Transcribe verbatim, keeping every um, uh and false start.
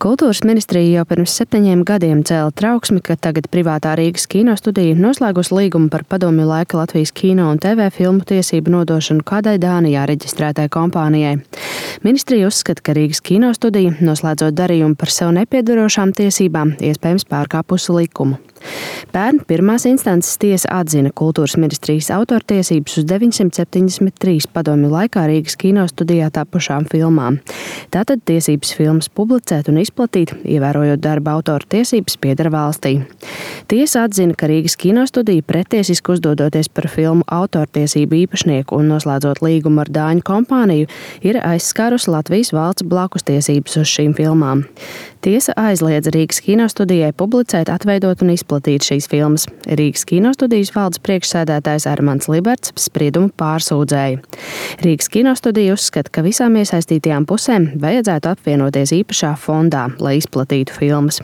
Kultūras ministrija jau pirms septiņiem gadiem cēla trauksmi, ka tagad privātā Rīgas kinostudija noslēgus līgumu par padomju laika Latvijas kino un te vē filmu tiesību nodošanu kādai Dānijā reģistrētai kompānijai. Ministrija uzskata, ka Rīgas kinostudija, noslēdzot darījumu par sev nepiedarošām tiesībām, iespējams pārkāpusi likumu. Pērn pirmās instances tiesa atzina Kultūras ministrijas autortiesības uz deviņsimt septiņdesmit trīs padomju laikā Rīgas kinostudijā tapušām filmām. Tātad tiesības filmas publicēt un izplatīt, ievērojot darba autora tiesības, pieder valstī. Tiesa atzina, ka Rīgas kinostudija pretiesiski uzdodoties par filmu autortiesību īpašnieku un noslēdzot līgumu ar dāņu kompāniju, ir aizskārusi Latvijas valsts blakus tiesības uz šīm filmām. Tiesa aizliedza Rīgas kinostudijai publicēt, atveidot un izplatīt šīs filmas. Rīgas kinostudijas valdes priekšsēdētājs Armands Liberts spriedumu pārsūdzēja. Rīgas kinostudija uzskata, ka visām iesaistītajām pusēm vajadzētu apvienoties īpašā fondā, lai izplatītu filmas.